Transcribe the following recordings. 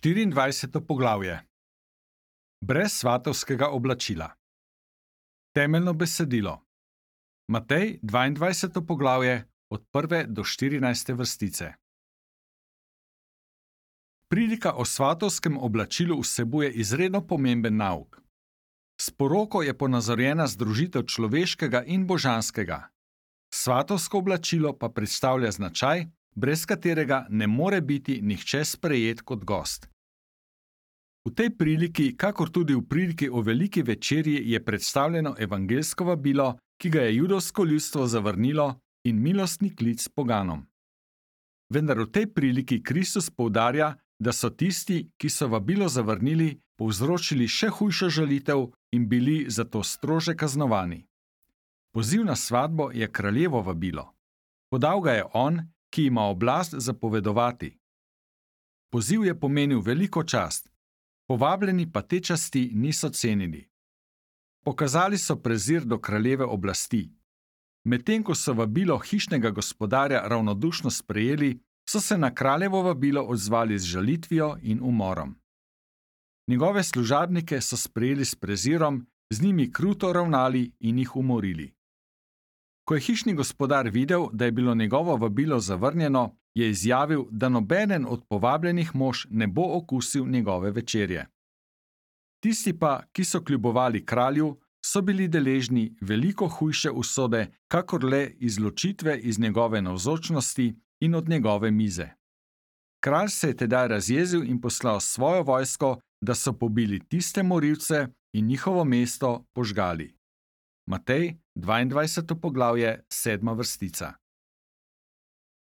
24. poglavje. Brez svatovskega oblačila. Temeljno besedilo. Matej 22. poglavje od 1. do 14. vrstice. Prilika o svatovskem oblačilu vsebuje izredno pomemben nauk. S poroko je ponazorjena združitev človeškega in božanskega. Svatovsko oblačilo pa predstavlja značaj, brez katerega ne more biti nihče sprejet kot gost. V tej priliki, kakor tudi v priliki o veliki večerji, je predstavljeno evangeljsko vabilo, ki ga je judovsko ljudstvo zavrnilo, in milostni klic poganom. Vendar v tej priliki Kristus poudarja, da so tisti, ki so vabilo zavrnili, povzročili še hujšo žalitev in bili zato strože kaznovani. Poziv na svatbo je kraljevo vabilo. Podal ga je on, ki ima oblast zapovedovati. Poziv je pomenil veliko čast, povabljeni pa te časti niso cenili. Pokazali so prezir do kraljeve oblasti. Medtem ko so vabilo hišnega gospodarja ravnodušno sprejeli, so se na kraljevo vabilo odzvali z žalitvijo in umorom. Njegove služabnike so sprejeli s prezirom, z njimi kruto ravnali in jih umorili. Ko je hišni gospodar videl, da je bilo njegovo vabilo zavrnjeno, je izjavil, da nobenen od povabljenih mož ne bo okusil njegove večerje. Tisti pa, ki so kljubovali kralju, so bili deležni veliko hujše usode, kakor le izločitve iz njegove navzočnosti in od njegove mize. Kralj se je tedaj razjezil in poslal svojo vojsko, da so pobili tiste morilce in njihovo mesto požgali. Matej 22. poglavje, 7. vrstica.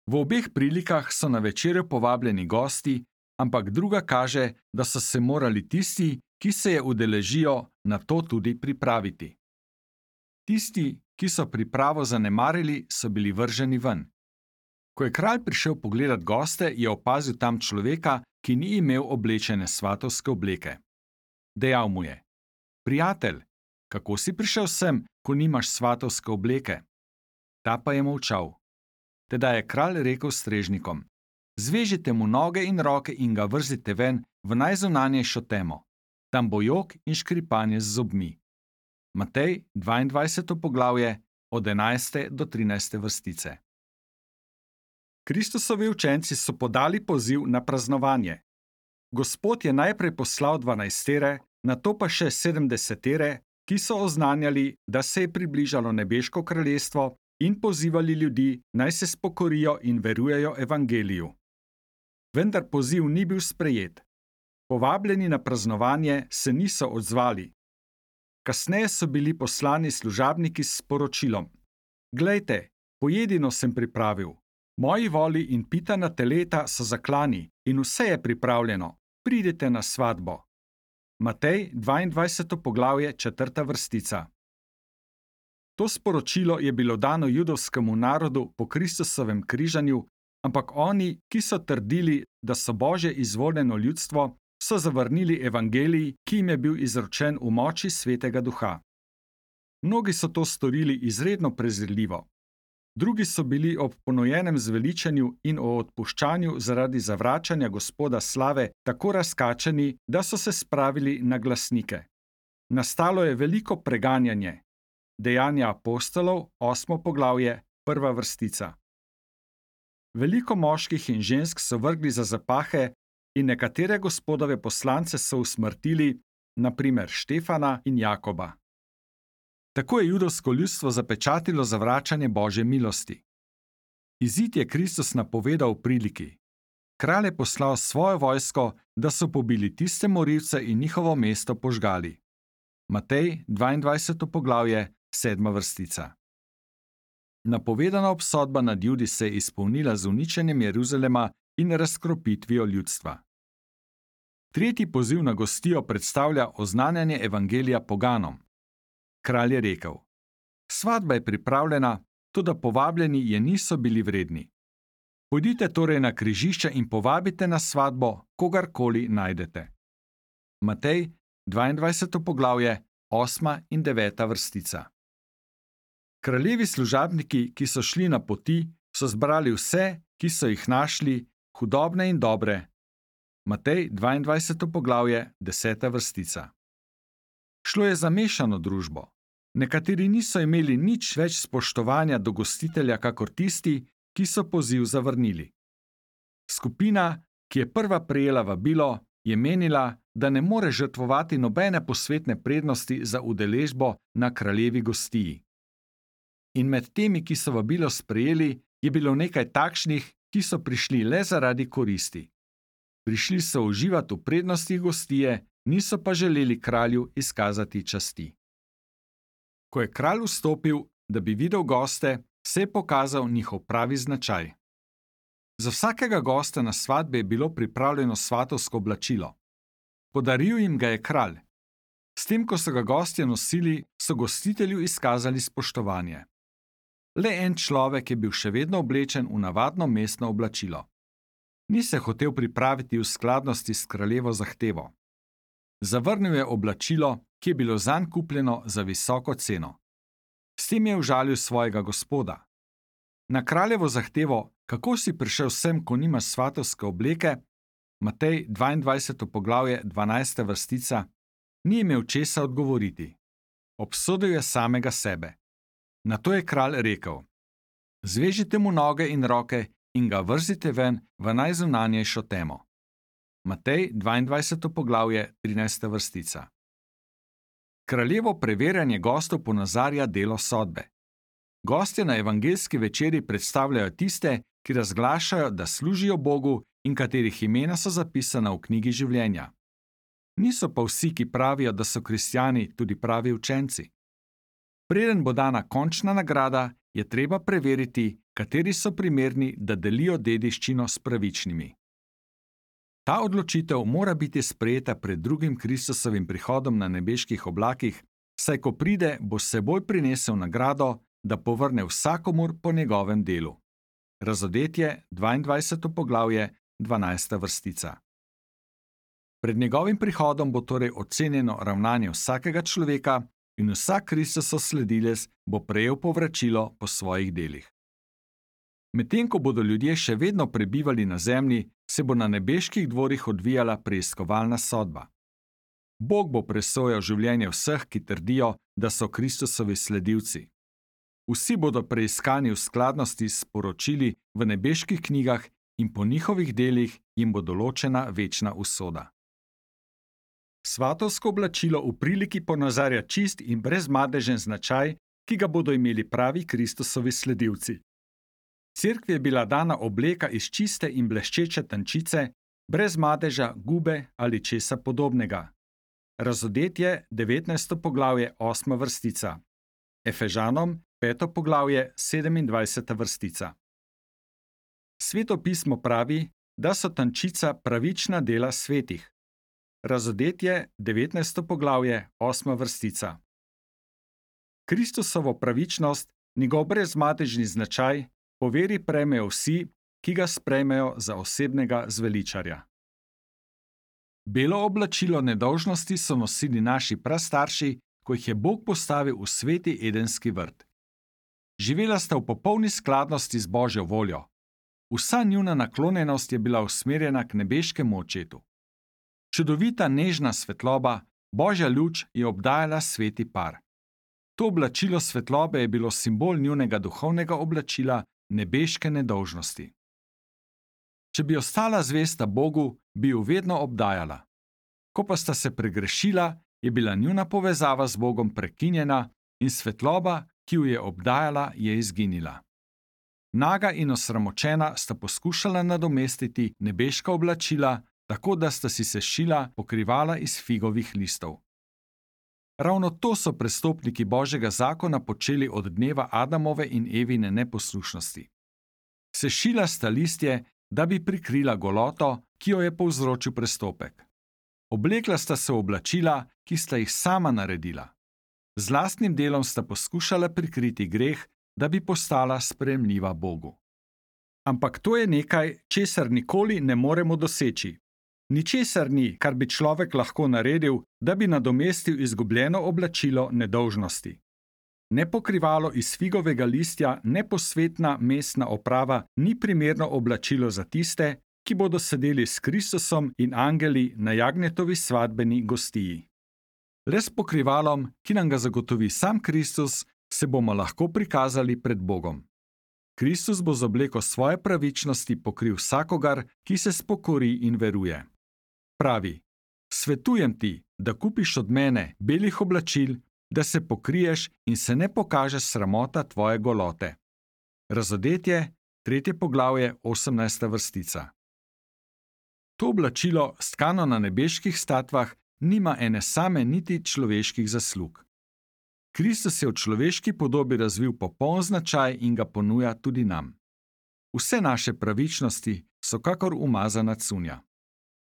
V obeh prilikah so na večerjo povabljeni gosti, ampak druga kaže, da so se morali tisti, ki se je udeležijo, na to tudi pripraviti. Tisti, ki so pripravo zanemarili, so bili vrženi ven. Ko je kralj prišel pogledat goste, je opazil tam človeka, ki ni imel oblečene svatovske obleke. Dejal mu je: Prijatelj, kako si prišel sem, ko nimaš svatovske obleke? Ta pa je molčal. Tedaj je kralj rekel strežnikom: Zvežite mu noge in roke in ga vrzite ven v najzunanjejšo temo. Tam bo jok in škripanje z zobmi. Matej 22. poglavje od 11. do 13. vrstice. Kristusovi učenci so podali poziv na praznovanje. Gospod je najprej poslal 12, nato pa še 70, ki so oznanjali, da se je približalo nebeško kraljestvo in pozivali ljudi, naj se spokorijo in verujejo evangeliju. Vendar poziv ni bil sprejet. Povabljeni na praznovanje se niso odzvali. Kasneje so bili poslani služabniki s sporočilom: Glejte, pojedino sem pripravil. Moji voli in pitana teleta so zaklani in vse je pripravljeno. Pridite na svatbo. Matej 22. poglavje, 4. vrstica. To sporočilo je bilo dano judovskemu narodu po Kristusovem križanju, ampak oni, ki so trdili, da so Božje izvoljeno ljudstvo, so zavrnili evangelij, ki jim je bil izročen v moči Svetega Duha. Mnogi so to storili izredno prezirljivo. Drugi so bili ob ponojenem zveličanju in o odpuščanju zaradi zavračanja Gospoda slave tako razkačeni, da so se spravili na glasnike. Nastalo je veliko preganjanje. Dejanja apostolov, 8. poglavje, 1. vrstica. Veliko moških in žensk so vrgli za zapahe in nekatere Gospodove poslance so usmrtili, na primer Štefana in Jakoba. Tako je judovsko ljudstvo zapečatilo zavračanje Božje milosti. Izid je Kristus napovedal v priliki. Kralj je poslal svojo vojsko, da so pobili tiste morilce in njihovo mesto požgali. Matej 22. poglavje, 7. vrstica. Napovedana obsodba nad Judi se je izpolnila z uničenjem Jeruzalema in razkropitvijo ljudstva. Tretji poziv na gostijo predstavlja oznanjanje evangelija poganom. Kralj je rekel: Svatba je pripravljena, toda povabljeni je niso bili vredni. Pojdite torej na križišče in povabite na svatbo, kogarkoli najdete. Matej 22. poglavje, 8. in 9. vrstica. Kraljevi služabniki, ki so šli na poti, so zbrali vse, ki so jih našli, hudobne in dobre, Matej 22. poglavje, 10. vrstica. Šlo je za mešano družbo. Nekateri niso imeli nič več spoštovanja do gostitelja kakor tisti, ki so poziv zavrnili. Skupina, ki je prva prejela vabilo, je menila, da ne more žrtvovati nobene posvetne prednosti za udeležbo na kraljevi gostiji. In med temi, ki so vabilo sprejeli, je bilo nekaj takšnih, ki so prišli le zaradi koristi. Prišli so uživati v prednostih gostije, niso pa želeli kralju izkazati časti. Ko je kralj vstopil, da bi videl goste, se je pokazal njihov pravi značaj. Za vsakega gosta na svatbi je bilo pripravljeno svatovsko oblačilo. Podaril jim ga je kralj. S tem, ko so ga gostje nosili, so gostitelju izkazali spoštovanje. Le en človek je bil še vedno oblečen v navadno mestno oblačilo. Ni se hotel pripraviti v skladnosti s kraljevo zahtevo. Zavrnil je oblačilo, ki je bilo zanj kupljeno za visoko ceno. S tem je užalil svojega gospoda. Na kraljevo zahtevo, kako si prišel sem, ko nimaš svatovske obleke, Matej 22. poglavje, 12. vrstica, ni imel česa odgovoriti. Obsodil je samega sebe. Nato je kralj rekel: Zvežite mu noge in roke in ga vrzite ven v najzunanjejšo temo. Matej 22. poglavje, 13. vrstica. Kraljevo preverjanje gostov ponazarja delo sodbe. Gostje na evangeljski večeri predstavljajo tiste, ki razglašajo, da služijo Bogu in katerih imena so zapisana v knjigi življenja. Niso pa vsi, ki pravijo, da so kristjani, tudi pravi učenci. Preden bo dana končna nagrada, je treba preveriti, kateri so primerni, da delijo dediščino s pravičnimi. Ta odločitev mora biti sprejeta pred drugim Kristusovim prihodom na nebeških oblakih, saj ko pride, bo s seboj prinesel nagrado, da povrne vsakomur po njegovem delu. Razodetje 22. poglavje, 12. vrstica. Pred njegovim prihodom bo torej ocenjeno ravnanje vsakega človeka in vsak Kristusov sledilec bo prejel povračilo po svojih delih. Medtem ko bodo ljudje še vedno prebivali na zemlji, se bo na nebeških dvorih odvijala preiskovalna sodba. Bog bo presojal življenje vseh, ki trdijo, da so Kristusovi sledilci. Vsi bodo preiskani v skladnosti s poročili v nebeških knjigah in po njihovih delih jim bo določena večna usoda. Svatovsko oblačilo v priliki ponazarja čist in brezmadežen značaj, ki ga bodo imeli pravi Kristusovi sledilci. Cerkvi je bila dana obleka iz čiste in bleščeče tančice, brez madeža, gube ali česa podobnega. Razodetje 19. poglavje, 8. vrstica. Efežanom 5. poglavje, 27. vrstica. Sveto pismo pravi, da so tančica pravična dela svetih. Razodetje 19. poglavje, 8. vrstica. Kristusovo pravičnost, njegov brezmadežni značaj, po veri prejmejo vsi, ki ga sprejmejo za osebnega zveličarja. Belo oblačilo nedolžnosti so nosili naši prastarši, ko jih je Bog postavil v sveti edenski vrt. Živela sta v popolni skladnosti z Božjo voljo. Vsa njuna naklonjenost je bila usmerjena k nebeškemu očetu. Čudovita nežna svetloba, Božja luč je obdajala sveti par. To oblačilo svetlobe je bilo simbol njunega duhovnega oblačila, nebeške nedolžnosti. Če bi ostala zvesta Bogu, bi jo vedno obdajala. Ko pa sta se pregrešila, je bila njuna povezava z Bogom prekinjena in svetloba, ki jo je obdajala, je izginila. Naga in osramočena sta poskušala nadomestiti nebeška oblačila, tako da sta si sešila pokrivala iz figovih listov. Ravno to so prestopniki Božjega zakona počeli od dneva Adamove in Evine neposlušnosti. Sešila sta listje, da bi prikrila goloto, ki jo je povzročil prestopek. Oblekla sta se v oblačila, ki sta jih sama naredila. Z lastnim delom sta poskušala prikriti greh, da bi postala sprejemljiva Bogu. Ampak to je nekaj, česar nikoli ne moremo doseči. Ničesar ni, kar bi človek lahko naredil, da bi nadomestil izgubljeno oblačilo nedolžnosti. Ne pokrivalo iz figovega listja, ne posvetna mestna oprava ni primerno oblačilo za tiste, ki bodo sedeli s Kristusom in angeli na jagnjetovi svadbeni gostiji. Le s pokrivalom, ki nam ga zagotovi sam Kristus, se bomo lahko prikazali pred Bogom. Kristus bo z obleko svoje pravičnosti pokril vsakogar, ki se spokori in veruje. Pravi: svetujem ti, da kupiš od mene belih oblačil, da se pokriješ in se ne pokaže sramota tvoje golote. Razodetje, 3. poglavje, 18. vrstica. To oblačilo, stkano na nebeških statvah, nima ene same niti človeških zaslug. Kristus je v človeški podobi razvil popoln značaj in ga ponuja tudi nam. Vse naše pravičnosti so kakor umazana cunja.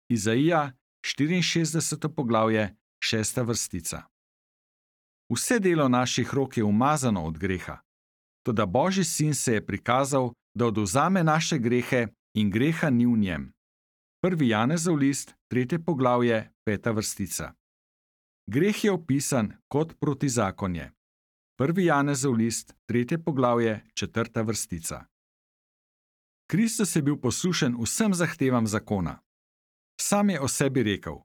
Izaija, 64. poglavje, 6. vrstica. Vse delo naših rok je umazano od greha, toda Božji sin se je prikazal, da odvzame naše grehe in greha ni v njem. 1. Janezov list, 3. poglavje, 5. vrstica. Greh je opisan kot protizakonje. 1. Janezov list, 3. poglavje, 4. vrstica. Kristus je bil poslušen vsem zahtevam zakona. Sam je o sebi rekel: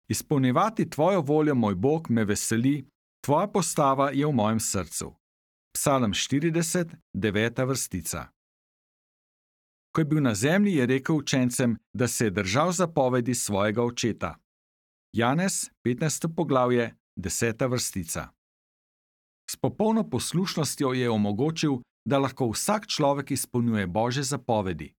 izpolnjevati tvojo voljo, moj Bog, me veseli, tvoja postava je v mojem srcu. Psalm 40, 9. vrstica. Ko je bil na zemlji, je rekel učencem, da se je držal zapovedi svojega očeta. Janez, 15. poglavje, 10. vrstica. S popolno poslušnostjo je omogočil, da lahko vsak človek izpolnjuje Božje zapovedi.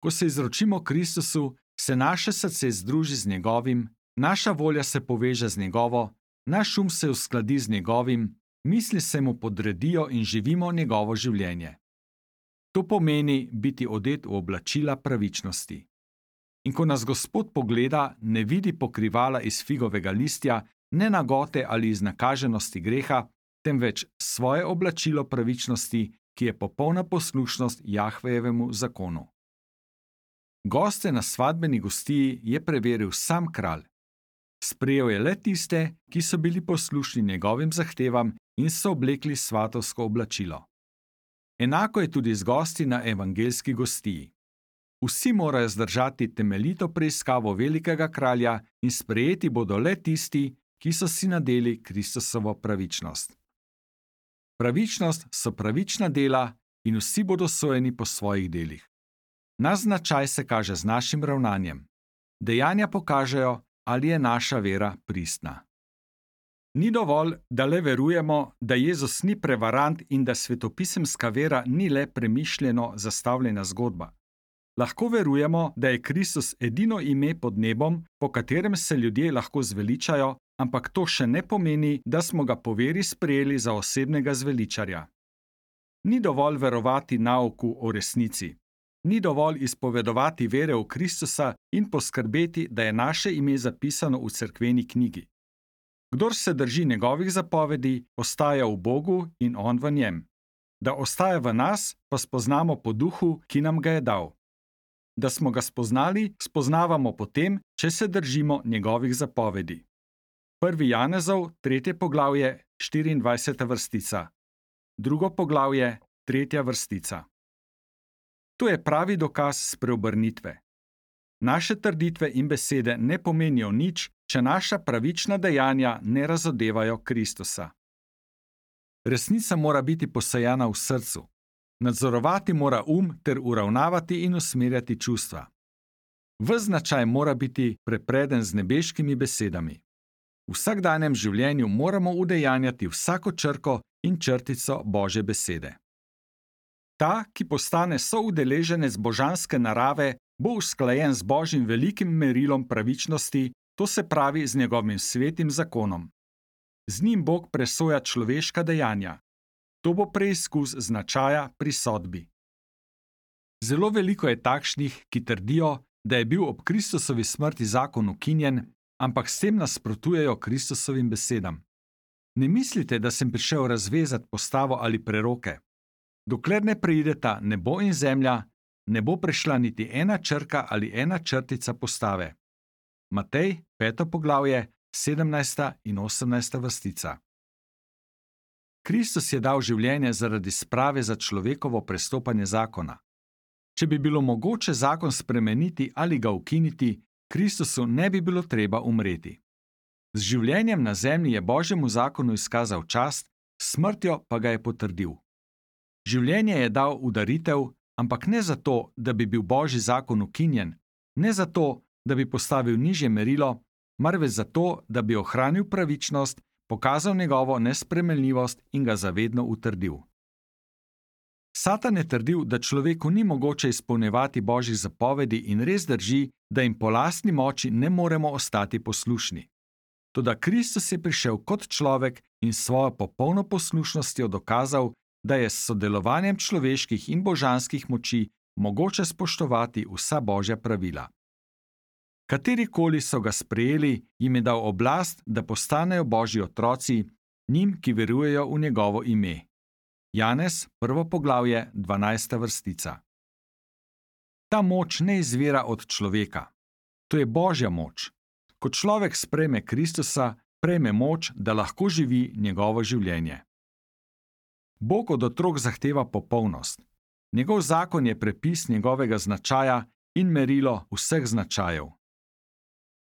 Ko se izročimo Kristusu, se naše srce združi z njegovim, naša volja se poveže z njegovo, naš um se uskladi z njegovim, misli se mu podredijo in živimo njegovo življenje. To pomeni biti odet v oblačila pravičnosti. In ko nas Gospod pogleda, ne vidi pokrivala iz figovega listja, ne nagote ali iznakaženosti greha, temveč svoje oblačilo pravičnosti, ki je popolna poslušnost Jahvejevemu zakonu. Goste na svadbeni gostiji je preveril sam kralj. Sprejel je le tiste, ki so bili poslušni njegovim zahtevam in so oblekli svatovsko oblačilo. Enako je tudi z gosti na evangeljski gostiji. Vsi morajo zdržati temeljito preiskavo velikega kralja in sprejeti bodo le tisti, ki so si nadeli Kristusovo pravičnost. Pravičnost so pravična dela in vsi bodo sojeni po svojih delih. Naš značaj se kaže z našim ravnanjem. Dejanja pokažejo, ali je naša vera pristna. Ni dovolj, da le verujemo, da Jezus ni prevarant in da svetopisemska vera ni le premišljeno zastavljena zgodba. Lahko verujemo, da je Kristus edino ime pod nebom, po katerem se ljudje lahko zveličajo, ampak to še ne pomeni, da smo ga po veri sprejeli za osebnega zveličarja. Ni dovolj verovati nauku o resnici. Ni dovolj izpovedovati vere v Kristusa in poskrbeti, da je naše ime zapisano v cerkveni knjigi. Kdor se drži njegovih zapovedi, ostaja v Bogu in on v njem. Da ostaja v nas, pa spoznamo po duhu, ki nam ga je dal. Da smo ga spoznali, spoznavamo potem, če se držimo njegovih zapovedi. 1. Janezov, 3. poglavje, 24. vrstica. 2. poglavje, 3. vrstica. To je pravi dokaz spreobrnitve. Naše trditve in besede ne pomenijo nič, če naša pravična dejanja ne razodevajo Kristusa. Resnica mora biti posejana v srcu. Nadzorovati mora ter uravnavati in usmerjati čustva. Ves značaj mora biti prepreden z nebeškimi besedami. V vsakdanjem življenju moramo udejanjati vsako črko in črtico Božje besede. Ta, ki postane soudeleženec božanske narave, bo usklajen z Božjim velikim merilom pravičnosti, to se pravi z njegovim svetim zakonom. Z njim Bog presoja človeška dejanja. To bo preizkus značaja pri sodbi. Zelo veliko je takšnih, ki trdijo, da je bil ob Kristusovi smrti zakon ukinjen, ampak s tem nasprotujejo Kristusovim besedam. Ne mislite, da sem prišel razvezati postavo ali preroke. Dokler ne preideta nebo in zemlja, ne bo prešla niti ena črka ali ena črtica postave. Matej, 5. poglavje, 17. in 18. vrstica. Kristus je dal življenje zaradi sprave za človekovo prestopanje zakona. Če bi bilo mogoče zakon spremeniti ali ga ukiniti, Kristusu ne bi bilo treba umreti. Z življenjem na zemlji je Božjemu zakonu izkazal čast, s smrtjo pa ga je potrdil. Življenje je dal v daritev, ampak ne zato, da bi bil Božji zakon ukinjen, ne zato, da bi postavil nižje merilo, marveč zato, da bi ohranil pravičnost, pokazal njegovo nespremenljivost in ga zavedno utrdil. Satan je trdil, da človeku ni mogoče izpolnjevati Božjih zapovedi in res drži, da jim po lastni moči ne moremo ostati poslušni. Toda Kristus je prišel kot človek in s svojo popolno poslušnostjo dokazal, da je s sodelovanjem človeških in božanskih moči mogoče spoštovati vsa Božja pravila. Katerikoli so ga sprejeli, jim je dal oblast, da postanejo Božji otroci, njim, ki verujejo v njegovo ime. Janez, 1. poglavje, 12. vrstica. Ta moč ne izvira od človeka. To je Božja moč. Ko človek sprejme Kristusa, prejme moč, da lahko živi njegovo življenje. Bog od otrok zahteva popolnost. Njegov zakon je prepis njegovega značaja in merilo vseh značajev.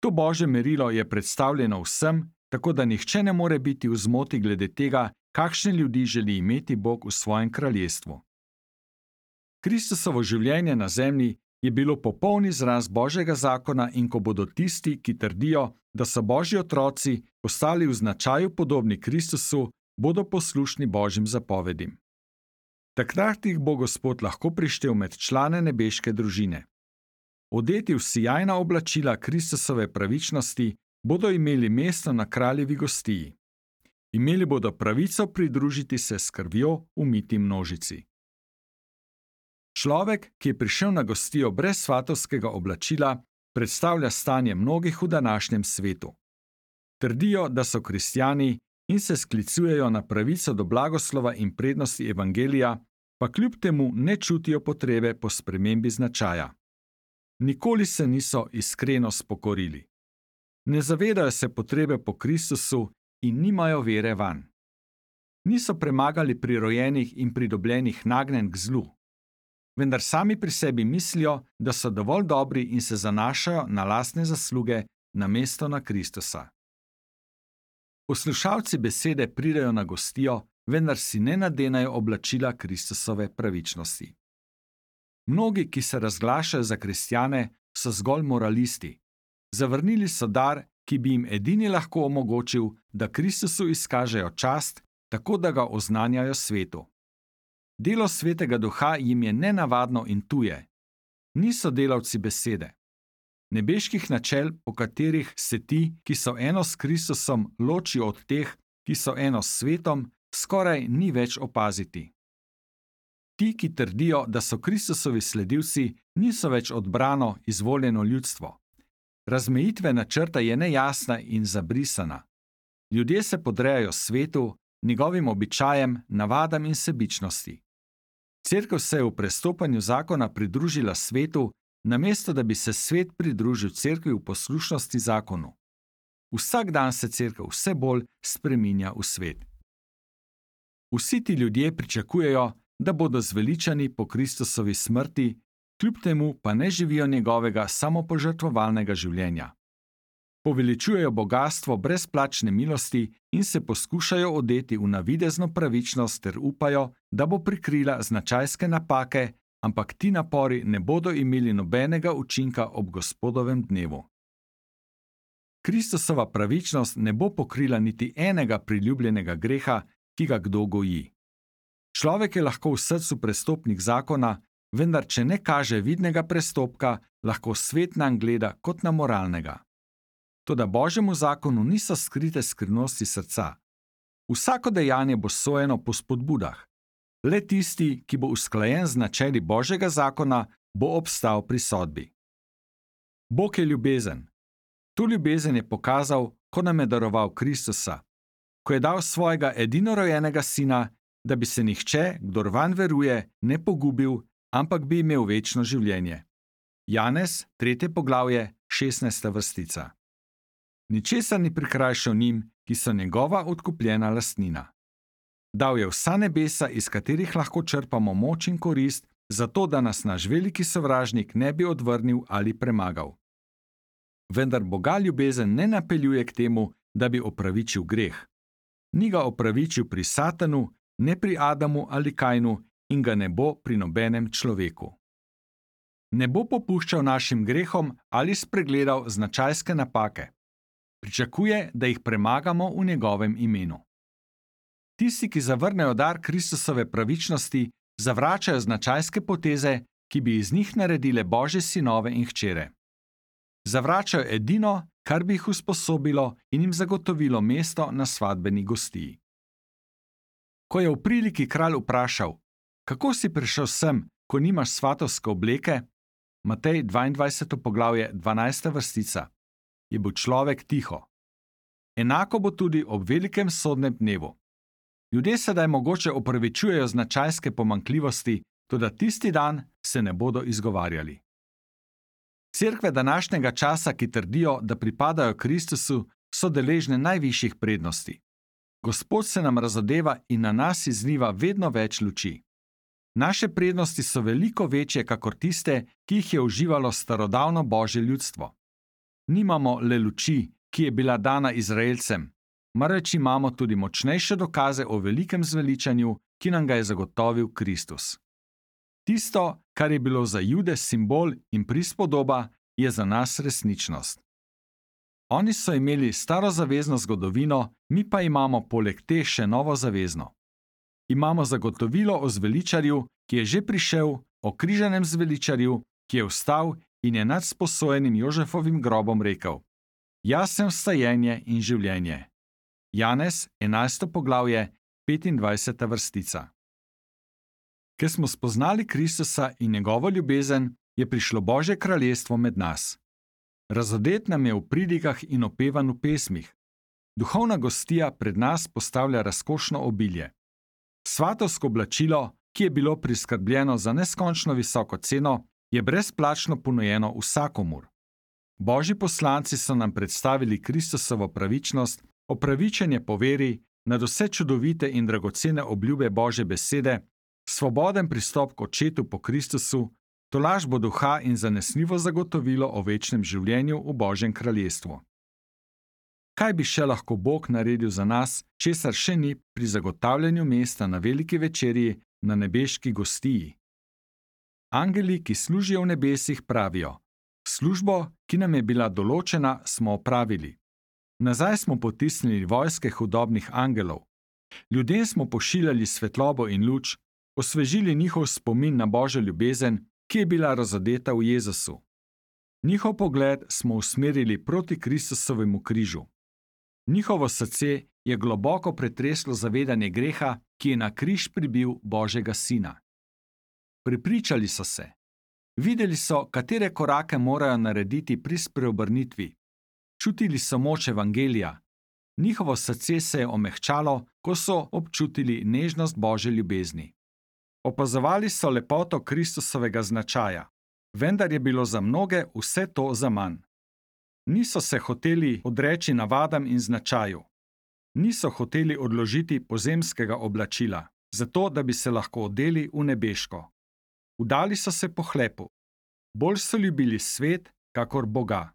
To Božje merilo je predstavljeno vsem, tako da nihče ne more biti v zmoti glede tega, kakšne ljudi želi imeti Bog v svojem kraljestvu. Kristusovo življenje na zemlji je bilo popoln izraz Božjega zakona in ko bodo tisti, ki trdijo, da so Božji otroci, postali v značaju podobni Kristusu, bodo poslušni Božjim zapovedim. Takrat jih bo Gospod lahko prištel med člane nebeške družine. Odeti v sijajna oblačila Kristusove pravičnosti bodo imeli mesto na kraljevi gostiji. Imeli bodo pravico pridružiti se s krvjo umiti množici. Človek, ki je prišel na gostijo brez svatovskega oblačila, predstavlja stanje mnogih v današnjem svetu. Trdijo, da so kristjani in se sklicujejo na pravico do blagoslova in prednosti evangelija, pa kljub temu ne čutijo potrebe po spremembi značaja. Nikoli se niso iskreno spokorili. Ne zavedajo se potrebe po Kristusu in nimajo vere vanj. Niso premagali prirojenih in pridobljenih nagnjenj k zlu. Vendar sami pri sebi mislijo, da so dovolj dobri in se zanašajo na lastne zasluge namesto na Kristusa. Poslušalci besede pridejo na gostijo, vendar si ne nadenajo oblačila Kristusove pravičnosti. Mnogi, ki se razglašajo za kristjane, so zgolj moralisti. Zavrnili so dar, ki bi jim edini lahko omogočil, da Kristusu izkažejo čast, tako da ga oznanjajo svetu. Delo Svetega Duha jim je nenavadno in tuje. Niso delavci besede. Nebeških načel, po katerih se ti, ki so eno s Kristusom, ločijo od teh, ki so eno s svetom, skoraj ni več opaziti. Ti, ki trdijo, da so Kristusovi sledilci, niso več odbrano, izvoljeno ljudstvo. Razmejitvena črta je nejasna in zabrisana. Ljudje se podrejajo svetu, njegovim običajem, navadam in sebičnosti. Cerkev se je v prestopanju zakona pridružila svetu, namesto da bi se svet pridružil cerkvi v poslušnosti zakonu. Vsak dan se cerkev vse bolj spreminja v svet. Vsi ti ljudje pričakujejo, da bodo zveličani po Kristusovi smrti, kljub temu pa ne živijo njegovega samopožrtvovalnega življenja. Poveličujejo bogastvo brezplačne milosti in se poskušajo odeti v navidezno pravičnost ter upajo, da bo prikrila značajske napake, ampak ti napori ne bodo imeli nobenega učinka ob Gospodovem dnevu. Kristusova pravičnost ne bo pokrila niti enega priljubljenega greha, ki ga kdo goji. Človek je lahko v srcu prestopnik zakona, vendar če ne kaže vidnega prestopka, lahko svet nanj gleda kot na moralnega. Toda Božjemu zakonu niso skrite skrivnosti srca. Vsako dejanje bo sojeno po spodbudah. Le tisti, ki bo usklajen z načeli Božjega zakona, bo obstal pri sodbi. Bog je ljubezen. To ljubezen je pokazal, ko nam je daroval Kristusa, ko je dal svojega edinorojenega sina, da bi se nihče, kdor vanj veruje, ne pogubil, ampak bi imel večno življenje. Janez, 3. poglavje, 16. vrstica. Ničesar ni prikrajšal njim, ki so njegova odkupljena lastnina. Dal je vsa nebesa, iz katerih lahko črpamo moč in korist, zato da nas naš veliki sovražnik ne bi odvrnil ali premagal. Vendar Boga ljubezen ne napeljuje k temu, da bi opravičil greh. Ni ga opravičil pri Satanu, ne pri Adamu ali Kainu in ga ne bo pri nobenem človeku. Ne bo popuščal našim grehom ali spregledal značajske napake. Pričakuje, da jih premagamo v njegovem imenu. Tisti, ki zavrnejo dar Kristusove pravičnosti, zavračajo značajske poteze, ki bi iz njih naredile Božje sinove in hčere. Zavračajo edino, kar bi jih usposobilo in jim zagotovilo mesto na svadbeni gostiji. Ko je v priliki kralj vprašal, kako si prišel sem, ko nimaš svatovske obleke, Matej 22. poglavje 12. vrstica, je bil človek tiho. Enako bo tudi ob velikem sodnem dnevu. Ljudje sedaj mogoče opravičujejo značajske pomanjkljivosti, toda tisti dan se ne bodo izgovarjali. Cerkve današnjega časa, ki trdijo, da pripadajo Kristusu, so deležne najvišjih prednosti. Gospod se nam razodeva in na nas izliva vedno več luči. Naše prednosti so veliko večje, kakor tiste, ki jih je uživalo starodavno Božje ljudstvo. Nimamo le luči, ki je bila dana Izraelcem, marveč imamo tudi močnejše dokaze o velikem zveličanju, ki nam ga je zagotovil Kristus. Tisto, kar je bilo za Jude simbol in prispodoba, je za nas resničnost. Oni so imeli starozavezno zgodovino, mi pa imamo poleg te še novozavezno. Imamo zagotovilo o zveličarju, ki je že prišel, o križanem zveličarju, ki je vstal in je nad sposojenim Jožefovim grobom rekel: Jaz sem vstajenje in življenje. Janez 11. poglavje 25. vrstica. Ker smo spoznali Kristusa in njegovo ljubezen, je prišlo Božje kraljestvo med nas. Razodet nam je v pridigah in opevan v pesmih. Duhovna gostija pred nas postavlja razkošno obilje. Svatovsko oblačilo, ki je bilo priskrbljeno za neskončno visoko ceno, je brezplačno ponujeno vsakomur. Božji poslanci so nam predstavili Kristusovo pravičnost, opravičenje po veri, nadvse čudovite in dragocene obljube Božje besede, svoboden pristop k Očetu po Kristusu, tolažbo duha in zanesljivo zagotovilo o večnem življenju v Božjem kraljestvu. Kaj bi še lahko Bog naredil za nas, česar še ni pri zagotavljanju mesta na veliki večerji na nebeški gostiji? Angeli, ki služijo v nebesih, pravijo: Službo, ki nam je bila določena, smo opravili. Nazaj smo potisnili vojske hudobnih angelov. Ljudem smo pošiljali svetlobo in luč, osvežili njihov spomin na Božjo ljubezen, ki je bila razodeta v Jezusu. Njihov pogled smo usmerili proti Kristusovemu križu. Njihovo srce je globoko pretreslo zavedanje greha, ki je na križ pribil Božjega Sina. Prepričali so se. Videli so, katere korake morajo narediti pri spreobrnitvi. Čutili so moč evangelija. Njihovo srce se je omehčalo, ko so občutili nežnost Božje ljubezni. Opazovali so lepoto Kristusovega značaja, vendar je bilo za mnoge vse to zaman. Niso se hoteli odreči navadam in značaju. Niso hoteli odložiti pozemskega oblačila, zato da bi se lahko odeli v nebeško. Vdali so se pohlepu. Bolj so ljubili svet, kakor Boga.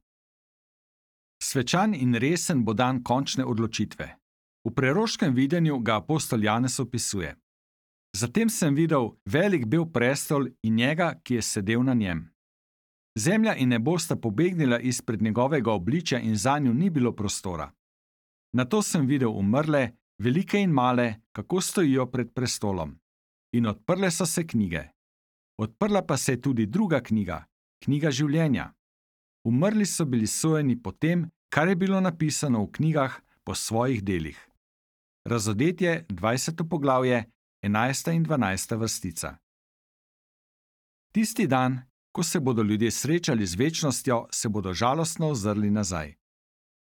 Svečan in resen bo dan končne odločitve. V preroškem videnju ga apostol Janez opisuje. Zatem sem videl velik bel prestol in njega, ki je sedel na njem. Zemlja in nebo sta pobegnila izpred njegovega obličja in zanju ni bilo prostora. Nato sem videl umrle, velike in male, kako stojijo pred prestolom. In odprle so se knjige. Odprla pa se je tudi druga knjiga, knjiga življenja. Umrli so bili sojeni po tem, kar je bilo napisano v knjigah, po svojih delih. Razodetje 20. poglavje 11. in 12. vrstica. Tisti dan, ko se bodo ljudje srečali z večnostjo, se bodo žalostno ozrli nazaj.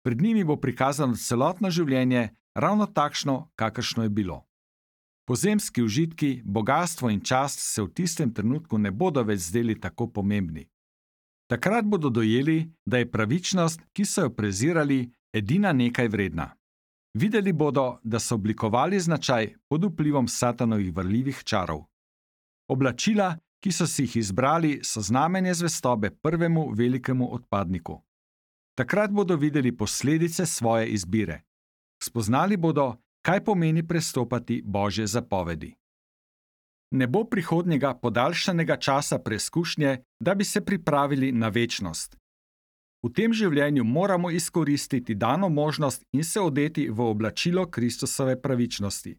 Pred njimi bo prikazano celotno življenje, ravno takšno, kakršno je bilo. Pozemski užitki, bogastvo in čast se v tistem trenutku ne bodo več zdeli tako pomembni. Takrat bodo dojeli, da je pravičnost, ki so jo prezirali, edina nekaj vredna. Videli bodo, da so oblikovali značaj pod vplivom Satanovih varljivih čarov. Oblačila, ki so si jih izbrali, so znamenje zvestobe prvemu velikemu odpadniku. Takrat bodo videli posledice svoje izbire. Spoznali bodo, kaj pomeni prestopati Božje zapovedi. Ne bo prihodnjega podaljšanega časa preizkušnje, da bi se pripravili na večnost. V tem življenju moramo izkoristiti dano možnost in se odeti v oblačilo Kristusove pravičnosti.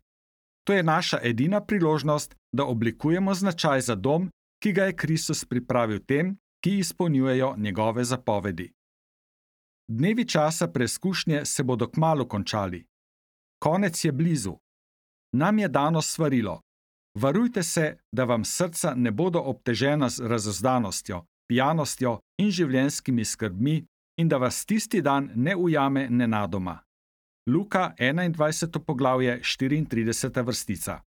To je naša edina priložnost, da oblikujemo značaj za dom, ki ga je Kristus pripravil tem, ki izpolnjujejo njegove zapovedi. Dnevi časa preizkušnje se bodo kmalu končali. Konec je blizu. Nam je dano svarilo: varujte se, da vam srca ne bodo obtežena z razozdanostjo, pijanostjo in življenjskimi skrbmi in da vas tisti dan ne ujame nenadoma. Luka 21. poglavje 34. vrstica.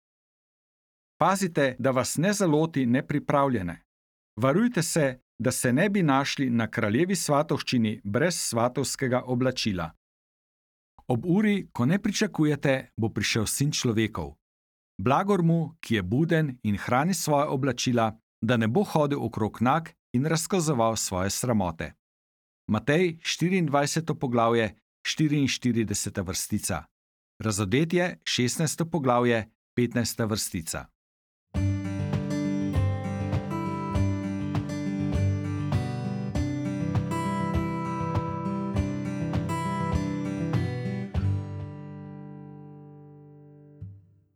Pazite, da vas ne zaloti nepripravljene. Varujte se, da se ne bi našli na kraljevi svatovščini brez svatovskega oblačila. Ob uri, ko ne pričakujete, bo prišel Sin človekov. Blagor mu, ki je buden in hrani svoja oblačila, da ne bo hodil okrog nag in razkazoval svoje sramote. Matej 24. poglavje 44. vrstica. Razodetje 16. poglavje 15. vrstica.